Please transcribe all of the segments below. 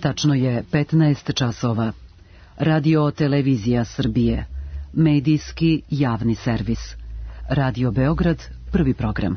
Tačno je 15 časova. Radio Televizija Srbije. Medijski javni servis. Radio Beograd, prvi program.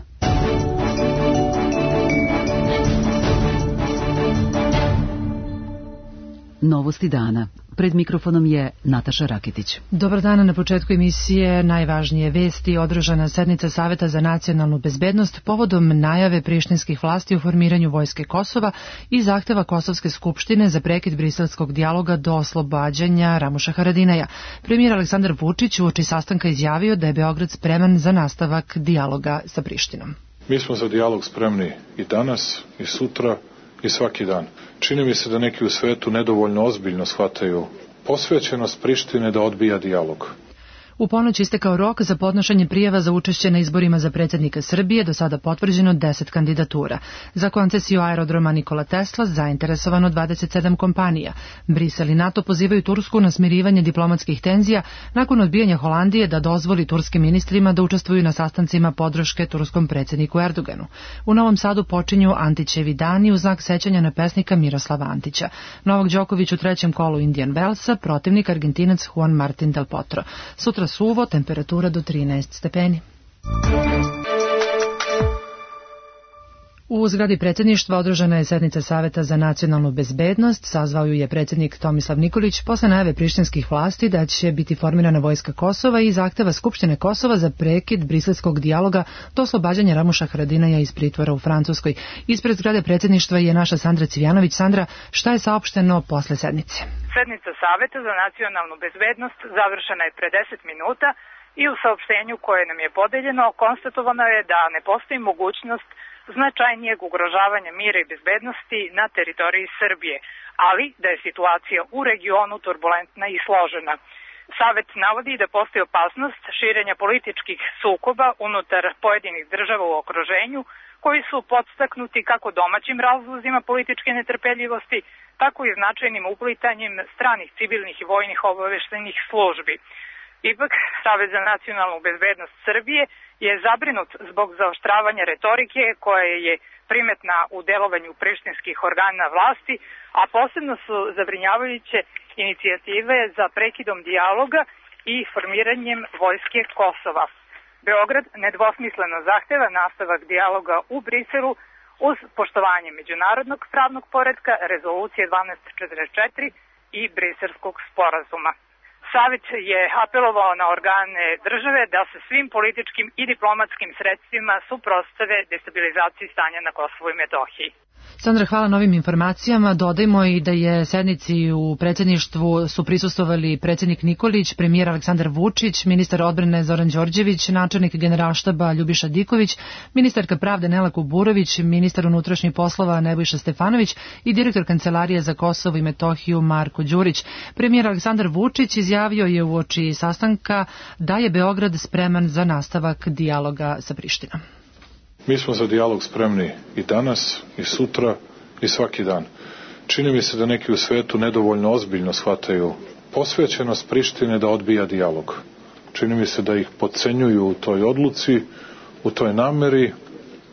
Novosti dana. Pred mikrofonom je Nataša Raketić. Dobar dan, na početku emisije najvažnije vesti. Održana sednica Saveta za nacionalnu bezbednost povodom najave prištinskih vlasti o formiranju vojske Kosova i zahteva Kosovske skupštine za prekid briselskog dijaloga do oslobađanja Ramuša Haradinaja. Premijer Aleksandar Vučić uoči sastanka izjavio da je Beograd spreman za nastavak dijaloga sa Prištinom. Mi smo za dijalog spremni i danas, i sutra, i svaki dan. Čini mi se da neki u svetu nedovoljno ozbiljno shvataju posvećenost Prištine da odbija dijalog. U ponoć istekao rok za podnošenje prijava za učešće na izborima za predsjednika Srbije, do sada potvrđeno 10 kandidatura. Za koncesiju aerodroma Nikola Tesla zainteresovano 27 kompanija. Brisel i NATO pozivaju Tursku na smirivanje diplomatskih tenzija nakon odbijanja Holandije da dozvoli turskim ministrima da učestvuju na sastancima podrške turskom predsjedniku Erdoganu. U Novom Sadu počinju Antićevi dani u znak sećanja na pesnika Miroslava Antića. Novak Đoković u trećem kolu Indian Wellsa, protivnik Argentinac Juan Martin del Potro. Sutra suvo, temperatura do 13 stepeni. U zgradi predsjedništva održana je sednica Saveta za nacionalnu bezbednost. Sazvao ju je predsjednik Tomislav Nikolić posle najave prištinskih vlasti da će biti formirana vojska Kosova i zahteva Skupštine Kosova za prekid briselskog dijaloga do oslobađanja Ramuša Haradinaja iz pritvora u Francuskoj. Ispred zgrade predsjedništva je naša Sandra Civjanović. Sandra, šta je saopšteno posle sednice? Sednica Saveta za nacionalnu bezbednost završena je pre 10 minuta i u saopštenju koje nam je podeljeno konstatovano je da ne postoji mogućnost značajnijeg ugrožavanja mira i bezbednosti na teritoriji Srbije, ali da je situacija u regionu turbulentna i složena. Savet navodi da postoji opasnost širenja političkih sukoba unutar pojedinih država u okruženju, koji su podstaknuti kako domaćim razlozima političke netrpeljivosti, tako i značajnim uplitanjem stranih civilnih i vojnih obaveštajnih službi. Ipak, Savet za nacionalnu bezbednost Srbije je zabrinut zbog zaoštravanja retorike koja je primetna u delovanju prištinskih organa vlasti, a posebno su zabrinjavajuće inicijative za prekidom dijaloga i formiranjem vojske Kosova. Beograd nedvosmisleno zahteva nastavak dijaloga u Briselu uz poštovanje međunarodnog pravnog poretka, rezolucije 1244 i Briselskog sporazuma. Savet je apelovao na organe države da se svim političkim i diplomatskim sredstvima suprotstave destabilizaciji stanja na Kosovu i Metohiji. Sandra, hvala na ovim informacijama. Dodajmo i da je sednici u predsjedništvu su prisustvovali predsjednik Nikolić, premijer Aleksandar Vučić, ministar odbrane Zoran Đorđević, načelnik generalštaba Ljubiša Diković, ministarka pravde Nela Kuburović, ministar unutrašnjih poslova Nebojša Stefanović i direktor Kancelarije za Kosovo i Metohiju Marko Đurić. Premijer Aleksandar Vučić izjavio je uoči sastanka da je Beograd spreman za nastavak dijaloga sa Prištinom. Mi smo za dijalog spremni i danas, i sutra, i svaki dan. Čini mi se da neki u svetu nedovoljno ozbiljno shvataju posvećenost Prištine da odbija dijalog. Čini mi se da ih podcenjuju u toj odluci, u toj nameri,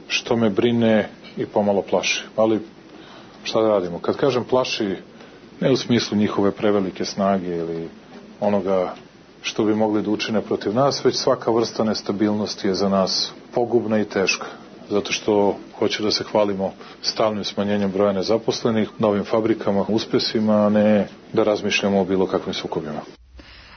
što me brine i pomalo plaši. Ali šta da radimo? Kad kažem plaši, ne u smislu njihove prevelike snage ili onoga što bi mogli da učine protiv nas, već svaka vrsta nestabilnosti je za nas pogubna i teška, zato što hoće da se hvalimo stalnim smanjenjem broja nezaposlenih, novim fabrikama, uspjesima, a ne da razmišljamo o bilo kakvim sukobima.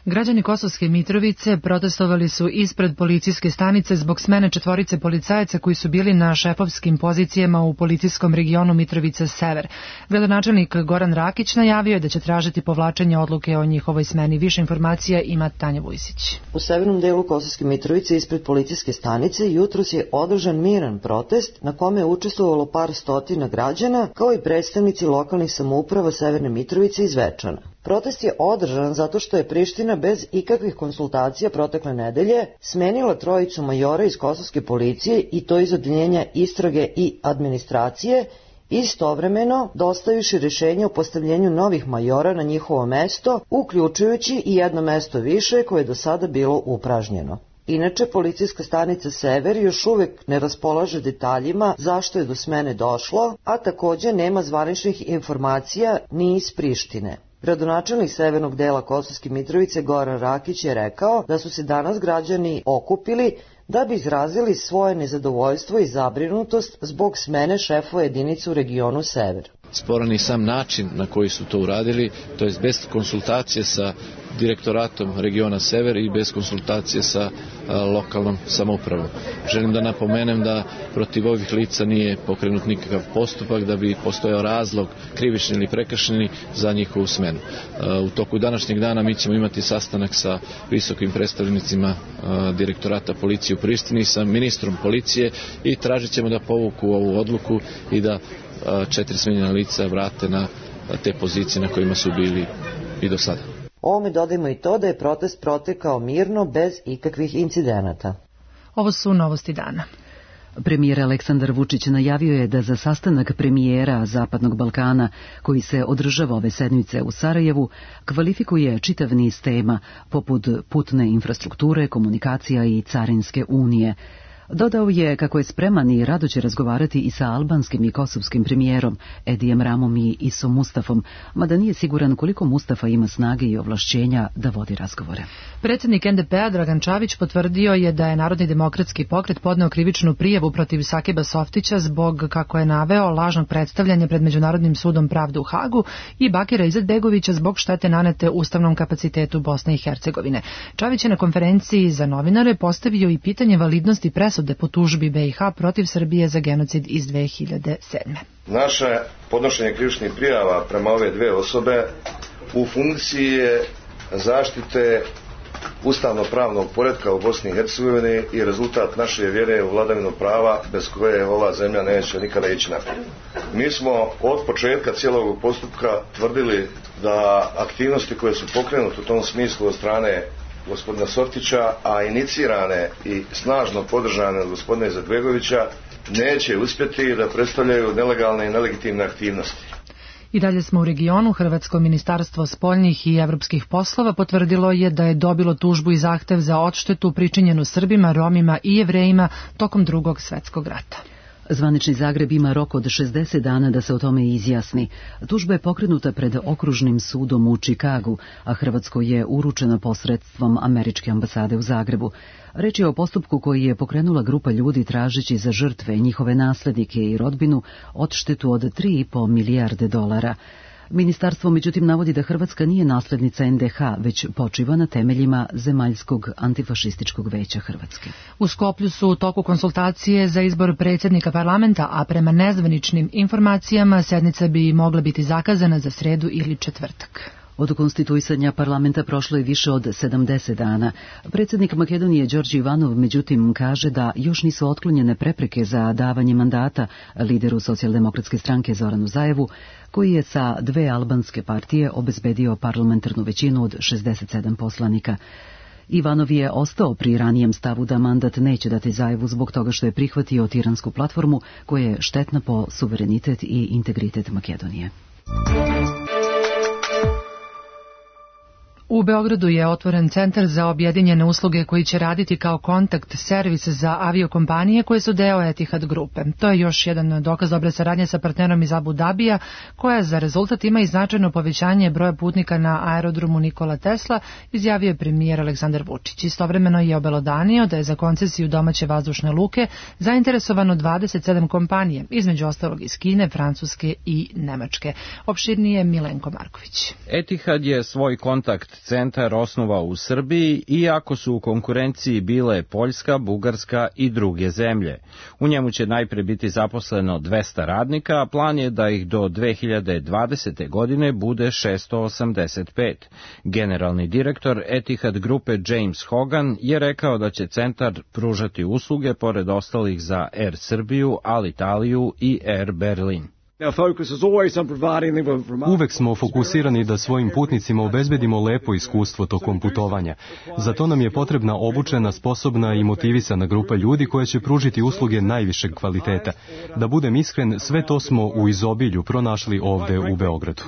Građani Kosovske Mitrovice protestovali su ispred policijske stanice zbog smene 4 policajaca koji su bili na šefovskim pozicijama u policijskom regionu Mitrovica Sever. Gradonačelnik Goran Rakić najavio je da će tražiti povlačenje odluke o njihovoj smeni. Više informacija ima Tanja Vujsić. U severnom delu Kosovske Mitrovice ispred policijske stanice jutros je održan miran protest na kome je učestvovalo par stotina građana, kao i predstavnici lokalnih samouprava Severne Mitrovice i Zvečana. Protest je održan zato što je Priština bez ikakvih konsultacija protekle nedelje smenila 3 majora iz kosovske policije i to iz odeljenja istrage i administracije, istovremeno dostavivši rješenje o postavljenju novih majora na njihovo mesto, uključujući i jedno mesto više koje je do sada bilo upražnjeno. Inače, policijska stanica Sever još uvek ne raspolaže detaljima zašto je do smene došlo, a takođe nema zvaničnih informacija ni iz Prištine. Gradonačelnik severnog dela Kosovske Mitrovice Goran Rakić je rekao da su se danas građani okupili da bi izrazili svoje nezadovoljstvo i zabrinutost zbog smene šefova jedinice u regionu Sever. Sporan je sam način na koji su to uradili, to je bez konsultacije sa direktoratom regiona Sever i bez konsultacije sa lokalnom samoupravom. Želim da napomenem da protiv ovih lica nije pokrenut nikakav postupak, da bi postojao razlog krivični ili prekršeni za njihovu smenu. U toku današnjeg dana mi ćemo imati sastanak sa visokim predstavnicima direktorata policije u Prištini, sa ministrom policije i tražit ćemo da povuku ovu odluku i da 4 smenjena lica vrate na te pozicije na kojima su bili i do sada. Ovome dodajmo i to da je protest protekao mirno bez ikakvih incidenata. Ovo su novosti dana. Premijer Aleksandar Vučić najavio je da za sastanak premijera Zapadnog Balkana, koji se održava ove sedmice u Sarajevu, kvalifikuje čitav niz tema, poput putne infrastrukture, komunikacija i carinske unije. Dodao je kako je spreman i rado će razgovarati i sa albanskim i kosovskim premijerom Edijem Ramom i Isom Mustafom, mada nije siguran koliko Mustafa ima snage i ovlašćenja da vodi razgovore. Predsjednik NDP-a Dragan Čavić potvrdio je da je Narodni demokratski pokret podneo krivičnu prijavu protiv Sakiba Softića zbog, kako je naveo, lažnog predstavljanja pred Međunarodnim sudom pravde u Hagu i Bakira Izetbegovića zbog štete nanete ustavnom kapacitetu Bosne i Hercegovine. Čavić je na konferenciji za novinare postavio i pitanje validnosti presude po tužbi BiH protiv Srbije za genocid iz 2007. Naše podnošenje krivičnih prijava prema ove dve osobe u funkciji je zaštite ustavno-pravnog poretka u Bosni i Hercegovini i rezultat naše vjere u vladavinu prava bez koje ova zemlja neće nikada ići naprijed. Mi smo od početka cijelog postupka tvrdili da aktivnosti koje su pokrenute u tom smislu od strane gospodina Softića, a inicirane i snažno podržane od gospodina Izetbegovića, neće uspjeti da predstavljaju nelegalne i nelegitimne aktivnosti. I dalje smo u regionu. Hrvatsko ministarstvo spoljnih i evropskih poslova potvrdilo je da je dobilo tužbu i zahtev za odštetu pričinjenu Srbima, Romima i Jevrejima tokom Drugog svjetskog rata. Zvanični Zagreb ima rok od 60 dana da se o tome izjasni. Tužba je pokrenuta pred okružnim sudom u Čikagu, a Hrvatskoj je uručena posredstvom američke ambasade u Zagrebu. Reč je o postupku koji je pokrenula grupa ljudi tražeći za žrtve, njihove naslednike i rodbinu odštetu od 3,5 milijarde dolara. Ministarstvo međutim navodi da Hrvatska nije naslednica NDH, već počiva na temeljima Zemaljskog antifašističkog veća Hrvatske. U Skoplju su u toku konsultacije za izbor predsjednika parlamenta, a prema nezvaničnim informacijama sednica bi mogla biti zakazana za sredu ili četvrtak. Od konstituisanja parlamenta prošlo je više od 70 dana. Predsjednik Makedonije Đorđe Ivanov međutim kaže da još nisu otklonjene prepreke za davanje mandata lideru Socijaldemokratske stranke Zoranu Zajevu, koji je sa 2 albanske partije obezbedio parlamentarnu većinu od 67 poslanika. Ivanov je ostao pri ranijem stavu da mandat neće dati Zajevu zbog toga što je prihvatio tiransku platformu koja je štetna po suverenitet i integritet Makedonije. U Beogradu je otvoren centar za objedinjene usluge koji će raditi kao kontakt servis za aviokompanije koje su deo Etihad grupe. To je još jedan dokaz dobre saradnje sa partnerom iz Abu Dabija, koja za rezultat ima i značajno povećanje broja putnika na aerodromu Nikola Tesla, izjavio je premijer Aleksandar Vučić. Istovremeno je obelodanio da je za koncesiju domaće vazdušne luke zainteresovano 27 kompanije, između ostalog iz Kine, Francuske i Nemačke. Opširnije Milenko Marković. Etihad je svoj kontakt centar osnovao u Srbiji, iako su u konkurenciji bile Poljska, Bugarska i druge zemlje. U njemu će najpre biti zaposleno 200 radnika, a plan je da ih do 2020. godine bude 685. Generalni direktor Etihad grupe James Hogan je rekao da će centar pružati usluge pored ostalih za Air Srbiju, Alitaliju i Air Berlin. Uvek smo fokusirani da svojim putnicima obezbedimo lepo iskustvo tokom putovanja. Za to nam je potrebna obučena, sposobna i motivisana grupa ljudi koja će pružiti usluge najvišeg kvaliteta. Da budem iskren, sve to smo u izobilju pronašli ovde u Beogradu.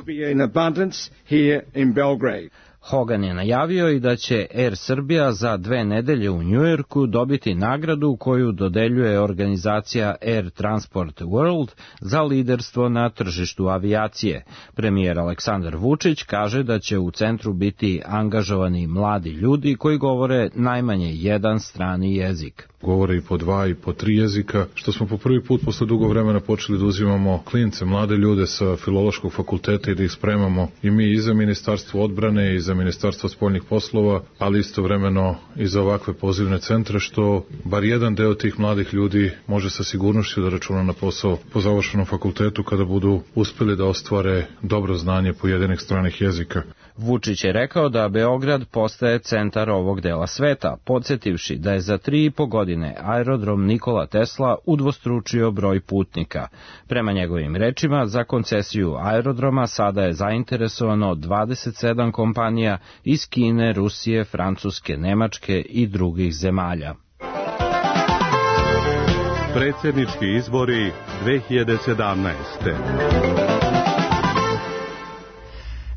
Hogan je najavio i da će Air Srbija za 2 nedelje u Njujorku dobiti nagradu koju dodeljuje organizacija Air Transport World za liderstvo na tržištu avijacije. Premijer Aleksandar Vučić kaže da će u centru biti angažovani mladi ljudi koji govore najmanje jedan strani jezik. Govore i po 2 i po 3 jezika, što smo po prvi put posle dugo vremena počeli da uzimamo klince, mlade ljude sa filološkog fakulteta i da ih spremamo i mi i za Ministarstvo odbrane i za Ministarstvo spoljnih poslova, ali istovremeno i za ovakve pozivne centre, što bar jedan deo tih mladih ljudi može sa sigurnošću da računa na posao po završenom fakultetu kada budu uspeli da ostvare dobro znanje pojedinih stranih jezika. Vučić je rekao da Beograd postaje centar ovog dela sveta, podsjetivši da je za 3,5 godine aerodrom Nikola Tesla udvostručio broj putnika. Prema njegovim rečima, za koncesiju aerodroma sada je zainteresovano 27 kompanija iz Kine, Rusije, Francuske, Nemačke i drugih zemalja. Predsjednički izbori 2017.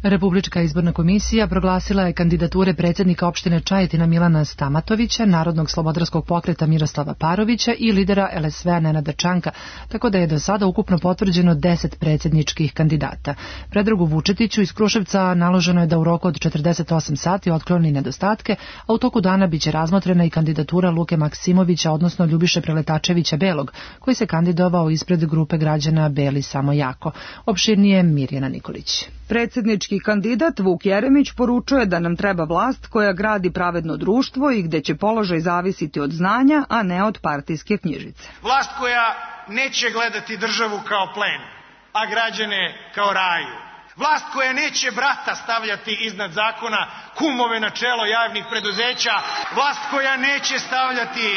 Republička izborna komisija proglasila je kandidature predsjednika opštine Čajetina Milana Stamatovića, Narodnog slobodarskog pokreta Miroslava Parovića i lidera LSV-a Nenada Čanka, tako da je do sada ukupno potvrđeno 10 predsjedničkih kandidata. Predragu Vučetiću iz Kruševca naloženo je da u roku od 48 sati otkloni nedostatke, a u toku dana biće razmotrena i kandidatura Luke Maksimovića, odnosno Ljubiše Preletačevića Belog, koji se kandidovao ispred grupe građana Beli samo jako. Opširnije Mirjana Nikolić. Predsjednički kandidat Vuk Jeremić poručuje da nam treba vlast koja gradi pravedno društvo i gde će položaj zavisiti od znanja, a ne od partijske knjižice. Vlast koja neće gledati državu kao plen, a građane kao raju. Vlast koja neće brata stavljati iznad zakona, kumove na čelo javnih preduzeća. Vlast koja neće stavljati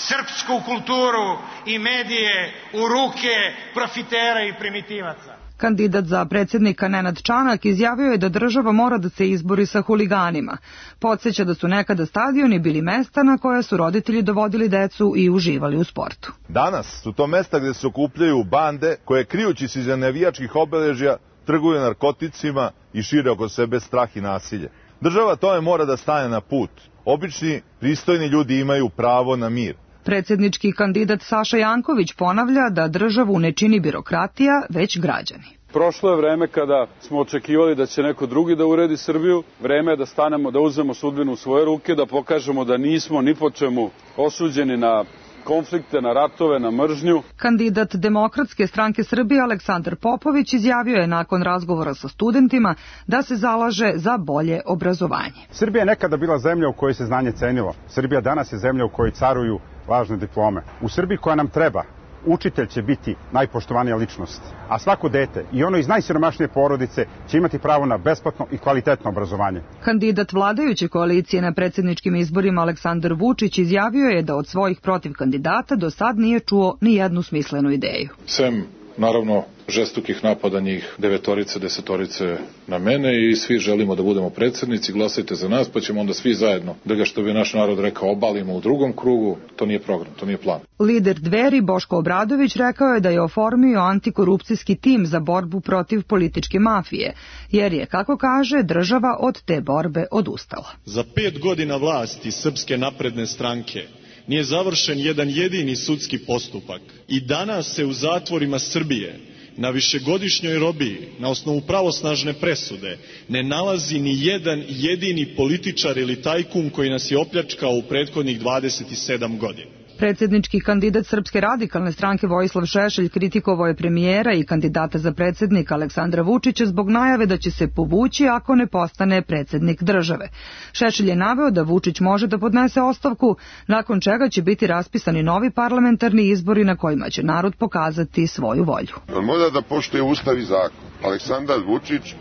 srpsku kulturu i medije u ruke profitera i primitivaca. Kandidat za predsjednika Nenad Čanak izjavio je da država mora da se izbori sa huliganima. Podsjeća da su nekada stadioni bili mesta na koja su roditelji dovodili decu i uživali u sportu. Danas su to mesta gde se okupljaju bande koje, krijući se iza navijačkih obeležja, trguju narkoticima i šire oko sebe strah i nasilje. Država tome mora da stane na put. Obični, pristojni ljudi imaju pravo na mir. Predsjednički kandidat Saša Janković ponavlja da državu ne čini birokratija, već građani. Prošlo je vreme kada smo očekivali da će neko drugi da uredi Srbiju. Vreme je da stanemo, da uzmemo sudbinu u svoje ruke, da pokažemo da nismo ni po čemu osuđeni na konflikte, na ratove, na mržnju. Kandidat Demokratske stranke Srbije Aleksandar Popović izjavio je nakon razgovora sa studentima da se zalaže za bolje obrazovanje. Srbija je nekada bila zemlja u kojoj se znanje cenilo. Srbija danas je zemlja u kojoj caruju važne diplome. U Srbiji koja nam treba, učitelj će biti najpoštovanija ličnost, a svako dete, i ono iz najsiromašnije porodice, će imati pravo na besplatno i kvalitetno obrazovanje. Kandidat vladajuće koalicije na predsjedničkim izborima Aleksandar Vučić izjavio je da od svojih protiv kandidata do sad nije čuo ni jednu smislenu ideju. Sem, naravno, žestokih napada njih 9-orice, 10-orice na mene i svi želimo da budemo predsjednici, glasajte za nas pa ćemo onda svi zajedno da ga, što bi naš narod rekao, obalimo u drugom krugu. To nije program, to nije plan. Lider Dveri Boško Obradović rekao je da je oformio antikorupcijski tim za borbu protiv političke mafije, jer je, kako kaže, država od te borbe odustala. Za 5 godina vlasti Srpske napredne stranke nije završen jedan jedini sudski postupak i danas se u zatvorima Srbije na višegodišnjoj robiji, na osnovu pravosnažne presude, ne nalazi ni jedan jedini političar ili tajkun koji nas je opljačkao u prethodnih 27 godina. Predsjednički kandidat Srpske radikalne stranke Vojislav Šešelj kritikovao je premijera i kandidata za predsjednika Aleksandra Vučića zbog najave da će se povući ako ne postane predsjednik države. Šešelj je naveo da Vučić može da podnese ostavku, nakon čega će biti raspisani novi parlamentarni izbori na kojima će narod pokazati svoju volju. On mora da poštuje ustav i zakon. Aleksandar Vučić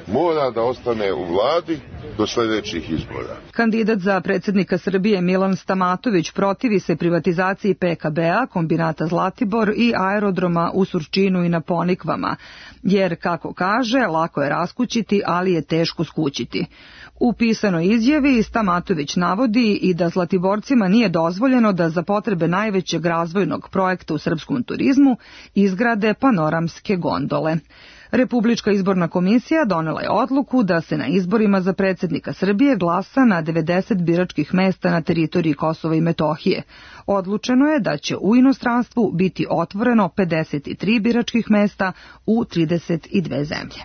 mora da ostane u vladi do sljedećih izbora. Kandidat za predsjednika Srbije Milan Stamatović protivi se privatizaciji PKB-a, kombinata Zlatibor i aerodroma u Surčinu i na Ponikvama, jer, kako kaže, lako je raskućiti, ali je teško skućiti. U pisanoj izjavi Stamatović navodi i da Zlatiborcima nije dozvoljeno da za potrebe najvećeg razvojnog projekta u srpskom turizmu izgrade panoramske gondole. Republička izborna komisija donela je odluku da se na izborima za predsjednika Srbije glasa na 90 biračkih mesta na teritoriji Kosova i Metohije. Odlučeno je da će u inostranstvu biti otvoreno 53 biračkih mesta u 32 zemlje.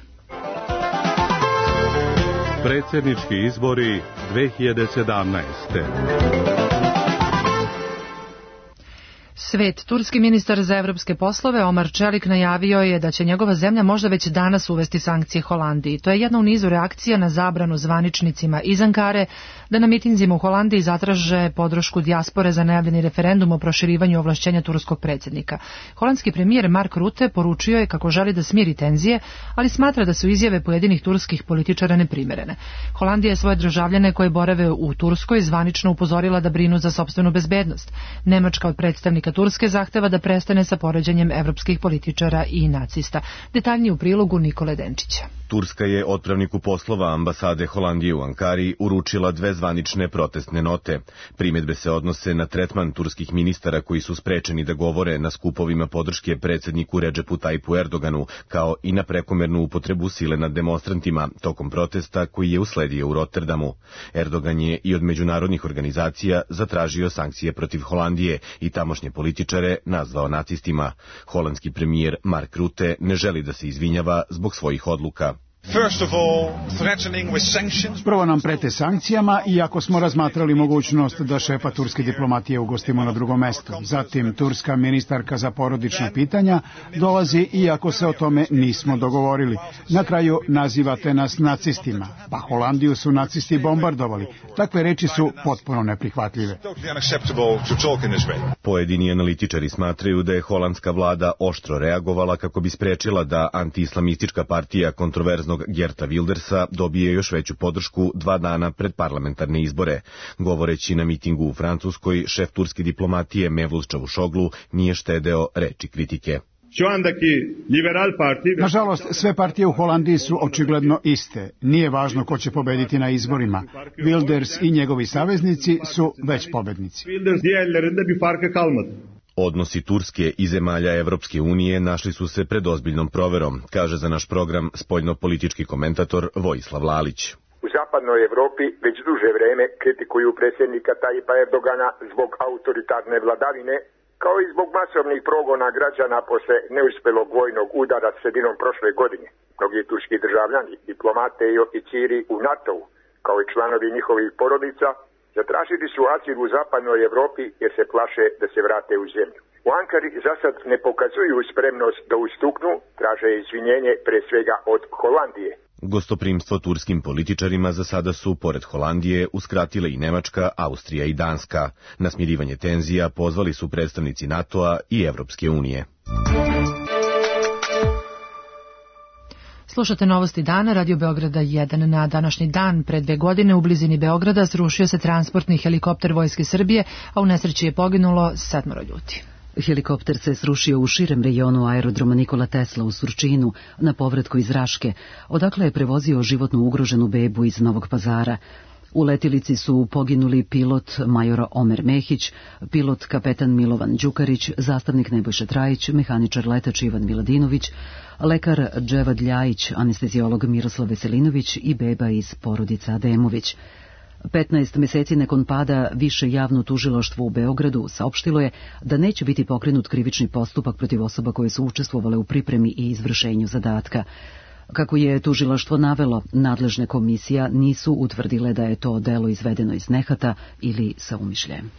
Predsjednički izbori 2017. Svet. Turski ministar za evropske poslove Omar Čelik najavio je da će njegova zemlja možda već danas uvesti sankcije Holandiji. To je jedna u nizu reakcija na zabranu zvaničnicima iz Ankare da na mitinzima u Holandiji zatraže podršku dijaspore za najavljeni referendum o proširivanju ovlašćenja turskog predsjednika. Holandski premijer Mark Rutte poručio je kako želi da smiri tenzije, ali smatra da su izjave pojedinih turskih političara neprimerene. Holandija je svoje državljane koje borave u Turskoj zvanično upozorila da brinu za sopstvenu bezbednost. Nemačka od predstavnika Turske zahteva da prestane sa poređenjem evropskih političara i nacista. Detaljnije u prilogu Nikole Denčića. Turska je otpravniku poslova ambasade Holandije u Ankari uručila 2 zvanične protestne note. Primjedbe se odnose na tretman turskih ministara koji su sprečeni da govore na skupovima podrške predsjedniku Redžepu Tajipu Erdoganu, kao i na prekomernu upotrebu sile nad demonstrantima tokom protesta koji je usledio u Rotterdamu. Erdogan je i od međunarodnih organizacija zatražio sankcije protiv Holandije i tamošnje političare nazvao nacistima. Holandski premijer Mark Rutte ne želi da se izvinjava zbog svojih odluka. Prvo nam prete sankcijama, iako smo razmatrali mogućnost da šefa turske diplomatije ugostimo na drugom mestu. Zatim, turska ministarka za porodična pitanja dolazi, iako se o tome nismo dogovorili. Na kraju nazivate nas nacistima. Pa Holandiju su nacisti bombardovali. Takve reči su potpuno neprihvatljive. Pojedini analitičari smatraju da je holandska vlada oštro reagovala kako bi sprečila da antiislamistička partija kontroverznog Geerta Wildersa dobije još veću podršku 2 dana pred parlamentarne izbore. Govoreći na mitingu u Francuskoj, šef turske diplomatije Mevlut Čavuşoglu nije štedeo reči kritike. Nažalost, sve partije u Holandiji su očigledno iste. Nije važno ko će pobediti na izborima. Wilders i njegovi saveznici su već pobednici. Odnosi Turske i zemalja Evropske unije našli su se pred ozbiljnom proverom, kaže za naš program spoljno-politički komentator Vojislav Lalić. U zapadnoj Evropi već duže vreme kritikuju predsjednika Tajipa Erdogana zbog autoritarne vladavine, kao i zbog masovnih progona građana posle neuspelog vojnog udara sredinom prošle godine. Mnogi turski državljani, diplomate i oficiri u NATO-u, kao i članovi njihovih porodica, zatražili su azil u zapadnoj Evropi jer se plaše da se vrate u zemlju. U Ankari za sad ne pokazuju spremnost da ustuknu, traže izvinjenje pre svega od Holandije. Gostoprimstvo turskim političarima za sada su, pored Holandije, uskratile i Nemačka, Austrija i Danska. Na smirivanje tenzija pozvali su predstavnici NATO-a i Evropske unije. Slušate novosti dana, Radio Beograda 1. Na današnji dan, pre 2 godine, u blizini Beograda srušio se transportni helikopter Vojske Srbije, a u nesreći je poginulo 7 ljudi. Helikopter se srušio u širem rejonu aerodroma Nikola Tesla u Surčinu na povratku iz Raške, odakle je prevozio životno ugroženu bebu iz Novog Pazara. U letilici su poginuli pilot major Omer Mehić, pilot kapetan Milovan Đukarić, zastavnik Nebojša Trajić, mehaničar letač Ivan Miladinović, lekar Dževad Ljajić, anesteziolog Miroslav Veselinović i beba iz porodica Ademović. 15 meseci nakon pada Više javno tužilaštvo u Beogradu saopštilo je da neće biti pokrenut krivični postupak protiv osoba koje su učestvovale u pripremi i izvršenju zadatka. Kako je tužilaštvo navelo, nadležne komisija nisu utvrdile da je to delo izvedeno iz nehata ili sa umišljajem.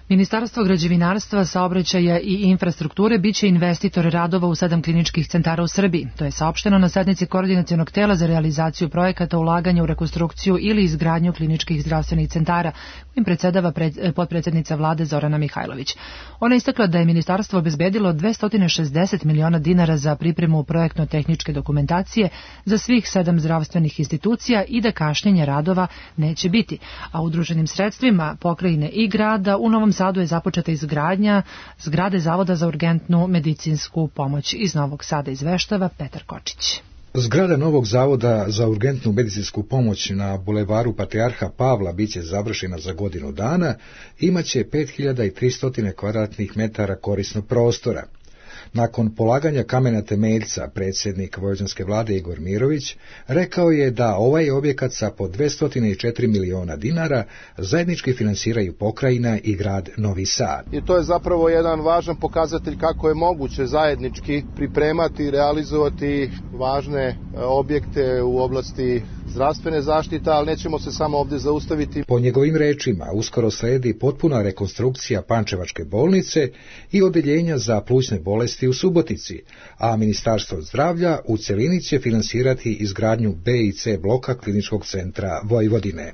Ministarstvo građevinarstva, saobraćaja i infrastrukture biće investitor radova u 7 kliničkih centara u Srbiji. To je saopšteno na sednici koordinacionog tela za realizaciju projekata ulaganja u rekonstrukciju ili izgradnju kliničkih zdravstvenih centara, kojim predsedava potpredsjednica vlade Zorana Mihajlović. Ona je istakla da je ministarstvo obezbedilo 260 miliona dinara za pripremu projektno-tehničke dokumentacije za svih 7 zdravstvenih institucija i da kašnjenja radova neće biti, a udruženim sredstvima pokrajine i grada u Novom Sadu je započeta izgradnja zgrade Zavoda za urgentnu medicinsku pomoć. Iz Novog Sada izveštava Petar Kočić. Zgrada novog Zavoda za urgentnu medicinsku pomoć na bulevaru Patrijarha Pavla biće završena za godinu dana, imaće 5300 kvadratnih metara korisnog prostora. Nakon polaganja kamena temeljca, predsjednik vojvođanske vlade Igor Mirović rekao je da ovaj objekat sa po 204 miliona dinara zajednički finansiraju pokrajina i grad Novi Sad. I to je zapravo jedan važan pokazatelj kako je moguće zajednički pripremati i realizovati važne objekte u oblasti zdravstvene zaštite, ali nećemo se samo ovdje zaustaviti. Po njegovim rečima, uskoro sledi potpuna rekonstrukcija Pančevačke bolnice i odeljenja za plućne bolesti u Subotici, a Ministarstvo zdravlja u celini će finansirati izgradnju B i C bloka Kliničkog centra Vojvodine.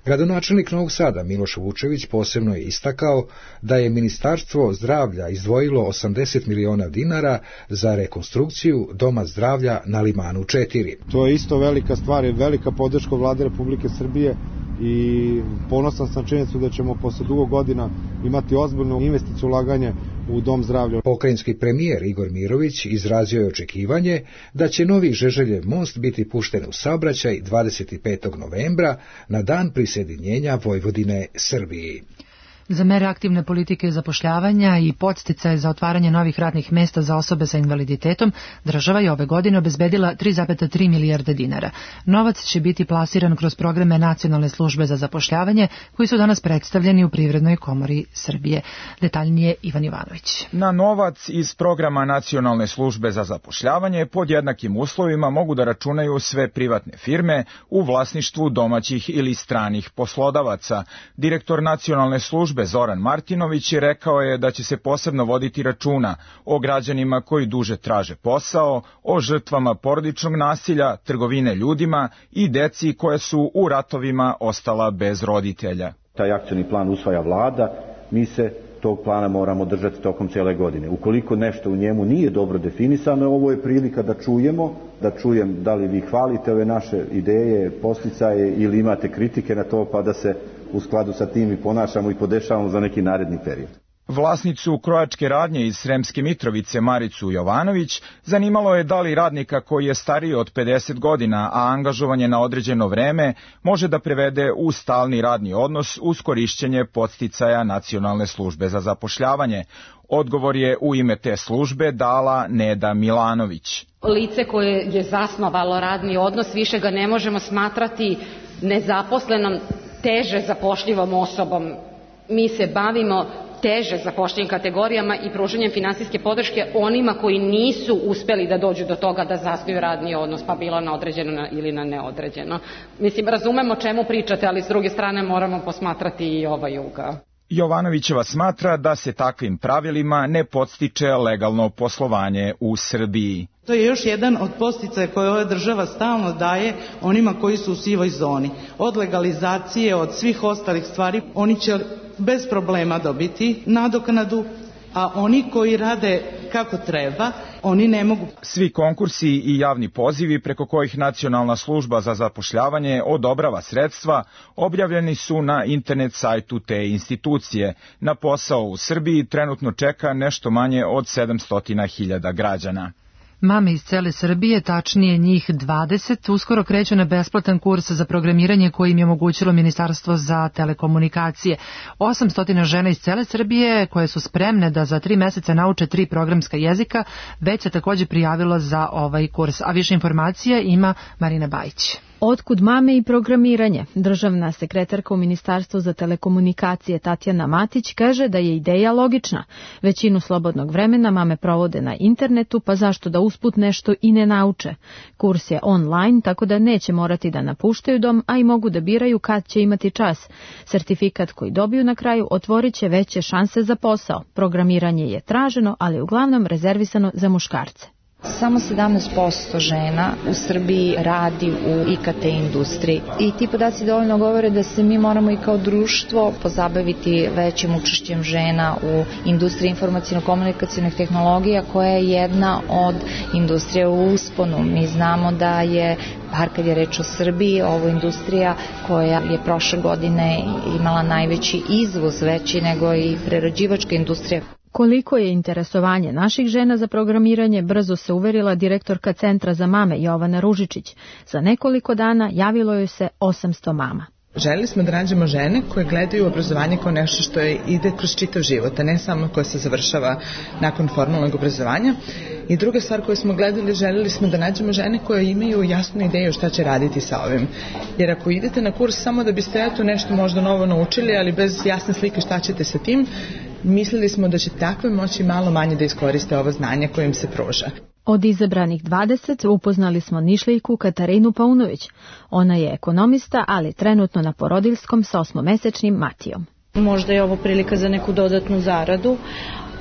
Gradonačelnik Novog Sada Miloš Vučević posebno je istakao da je Ministarstvo zdravlja izdvojilo 80 miliona dinara za rekonstrukciju Doma zdravlja na Limanu 4. To je isto velika stvar, velika podrška Vlade Republike Srbije i ponosan sam činjenicu da ćemo posle dugo godina imati ozbiljno investiciju ulaganje u Dom zdravlja. Pokrajinski premijer Igor Mirović izrazio je očekivanje da će novi Žeželjev most biti pušten u saobraćaj 25. novembra na dan prisjedinjenja Vojvodine Srbiji. Za mere aktivne politike zapošljavanja i podsticaje za otvaranje novih radnih mesta za osobe sa invaliditetom, država je ove godine obezbedila 3,3 milijarde dinara. Novac će biti plasiran kroz programe Nacionalne službe za zapošljavanje, koji su danas predstavljeni u Privrednoj komori Srbije. Detaljnije Ivan Ivanović. Na novac iz programa Nacionalne službe za zapošljavanje pod jednakim uslovima mogu da računaju sve privatne firme u vlasništvu domaćih ili stranih poslodavaca. Direktor Nacionalne službe Zoran Martinović rekao je da će se posebno voditi računa o građanima koji duže traže posao, o žrtvama porodičnog nasilja, trgovine ljudima i deci koje su u ratovima ostala bez roditelja. Taj akcioni plan usvaja vlada, mi se tog plana moramo držati tokom cijele godine. Ukoliko nešto u njemu nije dobro definisano, ovo je prilika da čujem da li vi hvalite ove naše ideje, posticaje ili imate kritike na to, pa da se u skladu sa tim i ponašamo i podešavamo za neki naredni period. Vlasnicu krojačke radnje iz Sremske Mitrovice Maricu Jovanović zanimalo je da li radnika koji je stariji od 50 godina, a angažovan je na određeno vreme, može da prevede u stalni radni odnos uz korišćenje podsticaja Nacionalne službe za zapošljavanje. Odgovor je u ime te službe dala Neda Milanović. Lice koje je zasnovalo radni odnos, više ga ne možemo smatrati nezaposlenom, teže zapošljivom osobom. Mi se bavimo teže zapošljivim kategorijama i pružanjem finansijske podrške onima koji nisu uspeli da dođu do toga da zasnuju radni odnos, pa bilo na određeno ili na neodređeno. Mislim, razumemo o čemu pričate, ali s druge strane moramo posmatrati i ovaj ugao. Jovanovićeva smatra da se takvim pravilima ne podstiče legalno poslovanje u Srbiji. To je još jedan od podsticaja koje ova država stalno daje onima koji su u sivoj zoni. Od legalizacije, od svih ostalih stvari, oni će bez problema dobiti nadoknadu, a oni koji rade kako treba, oni ne mogu. Svi konkursi i javni pozivi preko kojih Nacionalna služba za zapošljavanje odobrava sredstva objavljeni su na internet sajtu te institucije. Na posao u Srbiji trenutno čeka nešto manje od 700.000 građana. Mame iz cele Srbije, tačnije njih 20, uskoro kreću na besplatan kurs za programiranje koji im je omogućilo Ministarstvo za telekomunikacije. 800 žena iz cele Srbije koje su spremne da za 3 meseca nauče 3 programska jezika, već se također prijavilo za ovaj kurs. A više informacija ima Marina Bajić. Otkud mame i programiranje? Državna sekretarka u Ministarstvu za telekomunikacije Tatjana Matić kaže da je ideja logična. Većinu slobodnog vremena mame provode na internetu, pa zašto da usput nešto i ne nauče? Kurs je online, tako da neće morati da napuštaju dom, a i mogu da biraju kad će imati čas. Sertifikat koji dobiju na kraju otvorit će veće šanse za posao. Programiranje je traženo, ali uglavnom rezervisano za muškarce. Samo 17% žena u Srbiji radi u IKT industriji i ti podaci dovoljno govore da se mi moramo i kao društvo pozabaviti većim učešćem žena u industriji informacijno-komunikacijnih tehnologija koja je jedna od industrija u usponu. Mi znamo da je, bar kad je reč o Srbiji, ovo industrija koja je prošle godine imala najveći izvoz, veći nego i prerađivačka industrija. Koliko je interesovanje naših žena za programiranje, brzo se uverila direktorka Centra za mame Jovana Ružičić. Za nekoliko dana javilo joj se 800 mama. Želeli smo da nađemo žene koje gledaju obrazovanje kao nešto što ide kroz čitav život, a ne samo koje se završava nakon formalnog obrazovanja. I druga stvar koju smo gledali, želeli smo da nađemo žene koje imaju jasnu ideju šta će raditi sa ovim. Jer ako idete na kurs samo da biste nešto možda novo naučili, ali bez jasne slike šta ćete sa tim, mislili smo da će takve moći malo manje da iskoriste ovo znanje koje im se pruža. Od izabranih 20 upoznali smo Nišlijku Katarinu Paunović. Ona je ekonomista, ali trenutno na porodiljskom sa 8-mesečnim Matijom. Možda je ovo prilika za neku dodatnu zaradu,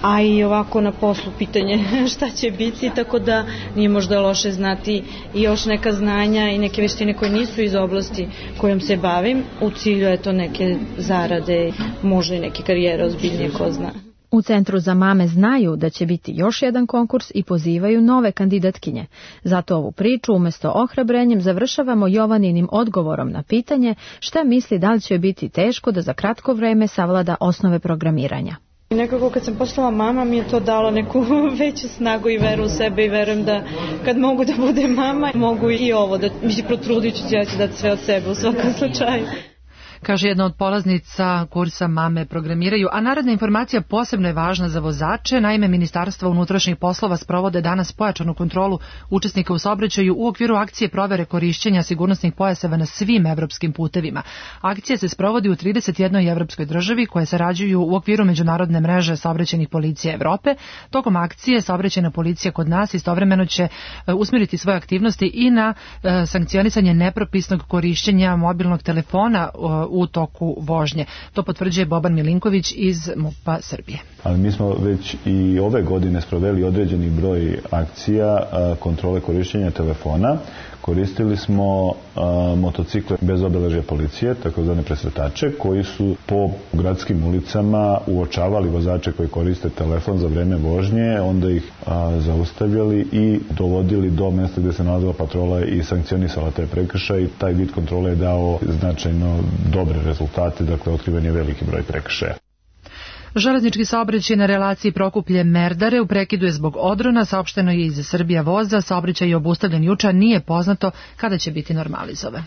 a i ovako na poslu pitanje šta će biti, tako da nije možda loše znati i još neka znanja i neke veštine koje nisu iz oblasti kojom se bavim, u cilju je to neke zarade, možda i neke karijere ozbiljnije, ko zna. U Centru za mame znaju da će biti još jedan konkurs i pozivaju nove kandidatkinje. Zato ovu priču umjesto ohrabrenjem završavamo Jovaninim odgovorom na pitanje šta misli da li će biti teško da za kratko vreme savlada osnove programiranja. Nekako kad sam postala mama mi je to dalo neku veću snagu i veru u sebe i verujem da kad mogu da budem mama mogu i ovo, da protrudit ću, ja ću dati sve od sebe u svakom slučaju. Kaže jedna od polaznica kursa Mame programiraju, a naredna informacija posebno je važna za vozače. Naime, Ministarstvo unutrašnjih poslova sprovode danas pojačanu kontrolu učesnika u saobraćaju u okviru akcije provere korišćenja sigurnosnih pojaseva na svim evropskim putevima. Akcija se sprovodi u 31 evropskoj državi koje sarađuju u okviru međunarodne mreže saobraćajnih policija Evrope. Tokom akcije saobraćajna policija kod nas istovremeno će usmjeriti svoje aktivnosti i na sankcionisanje nepropisnog korišćenja mobilnog telefona u toku vožnje. To potvrđuje Boban Milinković iz MUP-a Srbije. Ali mi smo već i ove godine sproveli određeni broj akcija kontrole korišćenja telefona. Koristili smo motocikle bez obeležja policije, takozvane presretače, koji su po gradskim ulicama uočavali vozače koji koriste telefon za vreme vožnje, onda ih zaustavljali i dovodili do mjesta gdje se nalazila patrola i sankcionisala te prekršaje i taj vid kontrole je dao značajno dobre rezultate, dakle otkriven je veliki broj prekršaja. Železnički saobraćaj na relaciji Prokuplje-Merdare u prekidu je zbog odrona, saopšteno je iz Srbija voza, saobraćaj je obustavljen juče, nije poznato kada će biti normalizovan.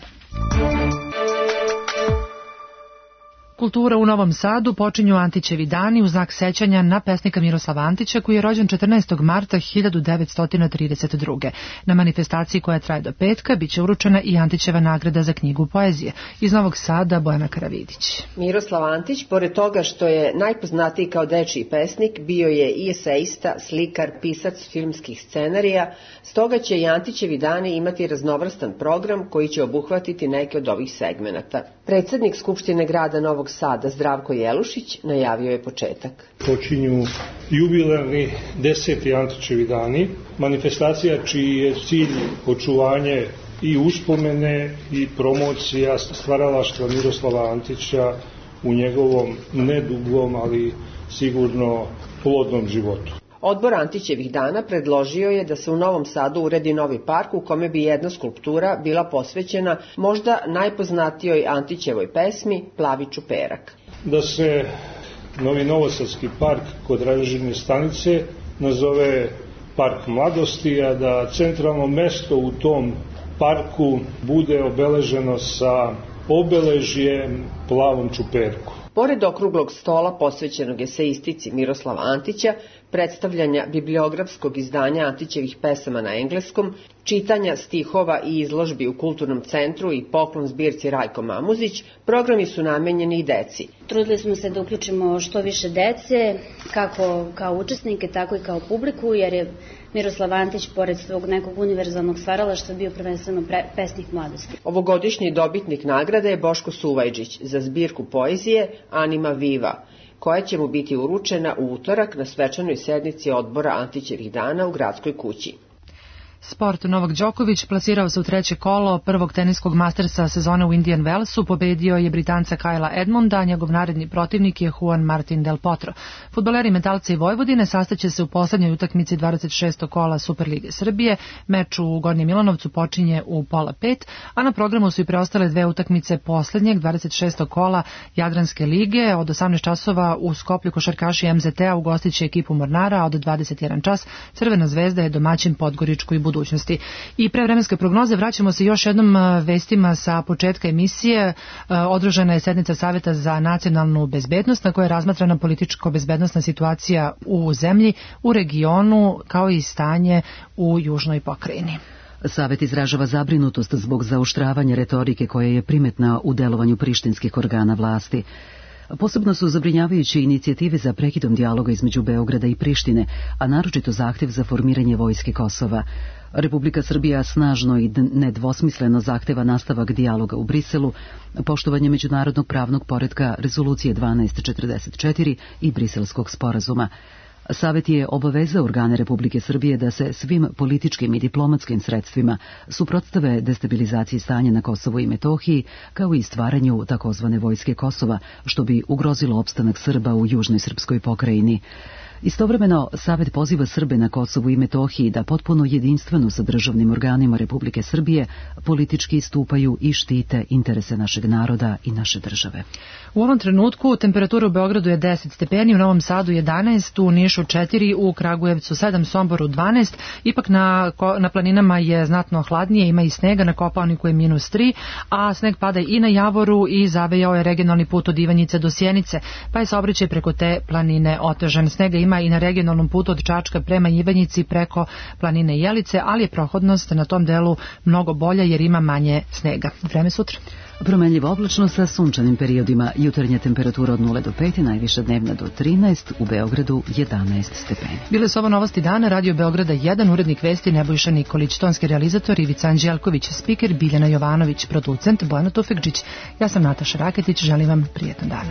Kultura u Novom Sadu počinju Antićevi dani u znak sećanja na pesnika Miroslava Antića koji je rođen 14. marta 1932. Na manifestaciji koja traje do petka biće uručena i Antićeva nagrada za knjigu poezije. Iz Novog Sada Bojana Karavidić. Miroslav Antić, pored toga što je najpoznatiji kao dečiji pesnik, bio je i eseista, slikar, pisac filmskih scenarija, stoga će i Antićevi dani imati raznovrstan program koji će obuhvatiti neke od ovih segmenata. Predsjednik Skupštine grada Novog Sada Zdravko Jelušić najavio je početak. Počinju jubilarni 10. Antićevi dani, manifestacija čiji je cilj očuvanje i uspomene i promocija stvaralaštva Miroslava Antića u njegovom nedugom, ali sigurno plodnom životu. Odbor Antićevih dana predložio je da se u Novom Sadu uredi novi park u kome bi jedna skulptura bila posvećena možda najpoznatijoj Antićevoj pesmi Plavi čuperak. Da se novi novosadski park kod Ranžirne stanice nazove Park mladosti, a da centralno mesto u tom parku bude obeleženo sa obeležjem Plavom čuperku. Pored okruglog stola posvećenog eseistici Miroslava Antića, predstavljanja bibliografskog izdanja Antićevih pesama na engleskom, čitanja stihova i izložbi u Kulturnom centru i poklon zbirci Rajko Mamuzić, programi su namenjeni i deci. Trudili smo se da uključimo što više dece, kako kao učesnike, tako i kao publiku, jer je Miroslav Antić, pored svog nekog univerzalnog stvaralaštva, bio prvenstveno pesnik mladosti. Ovogodišnji dobitnik nagrade je Boško Suvajđić za zbirku poezije Anima Viva, koja će mu biti uručena u utorak na svečanoj sednici odbora Antićevih dana u Gradskoj kući. Sport. Novak Đoković plasirao se u treće kolo prvog teniskog mastersa sezone u Indian Wellsu, pobedio je Britanca Kajla Edmonda, a njegov naredni protivnik je Juan Martin Del Potro. Fudbaleri Metalca i Vojvodine sastaće se u poslednjoj utakmici 26. kola Superlige Srbije. Meč u Gornjem Milanovcu počinje u 4:30, a na programu su i preostale dve utakmice poslednjeg 26. kola Jadranske lige. Od 18 časova u Skoplju košarkaši MZT-a ugostiće ekipu Mornara, a od 21 čas Crvena zvezda je domaćin Podgoričku i budućnosti. I pre vremenske prognoze vraćamo se još jednom vestima sa početka emisije. Održana je sednica Saveta za nacionalnu bezbednost na kojoj je razmatrana političko-bezbednosna situacija u zemlji, u regionu, kao i stanje u južnoj pokrajini. Savet izražava zabrinutost zbog zaoštravanja retorike koja je primetna u delovanju prištinskih organa vlasti. Posebno su zabrinjavajuće inicijative za prekidom dijaloga između Beograda i Prištine, a naročito zahtev za formiranje vojske Kosova. Republika Srbija snažno i nedvosmisleno zahteva nastavak dijaloga u Briselu, poštovanje međunarodnog pravnog poretka Rezolucije 1244 i Briselskog sporazuma. Savet je obavezao organe Republike Srbije da se svim političkim i diplomatskim sredstvima suprotstave destabilizaciji stanja na Kosovu i Metohiji, kao i stvaranju takozvane vojske Kosova, što bi ugrozilo opstanak Srba u južnoj srpskoj pokrajini. Istovremeno, Savet poziva Srbe na Kosovu i Metohiji da potpuno jedinstveno sa državnim organima Republike Srbije politički istupaju i štite interese našeg naroda i naše države. U ovom trenutku temperatura u Beogradu je 10 stepeni, u Novom Sadu 11, u Nišu 4, u Kragujevcu 7, Somboru 12. Ipak na planinama je znatno hladnije, ima i snega, na Kopaoniku je -3, a sneg pada i na Javoru i zavejao je regionalni put od Ivanjice do Sjenice, pa je saobraćaj preko te planine otežan. Snega ima i na regionalnom putu od Čačka prema Ivanjici preko planine Jelice, ali je prohodnost na tom delu mnogo bolja jer ima manje snega. Vreme sutra. Promenljivo oblačno sa sunčanim periodima, jutarnja temperatura od 0 do 5, najviša dnevna do 13, u Beogradu 11 stepeni. Bile su ovo novosti dana, Radio Beograda 1, urednik vesti Nebojša Nikolić, tonski realizator Ivica Anđelković, spiker Biljana Jovanović, producent Bojana Tufekđić. Ja sam Nataša Raketić, želim vam prijetan dan.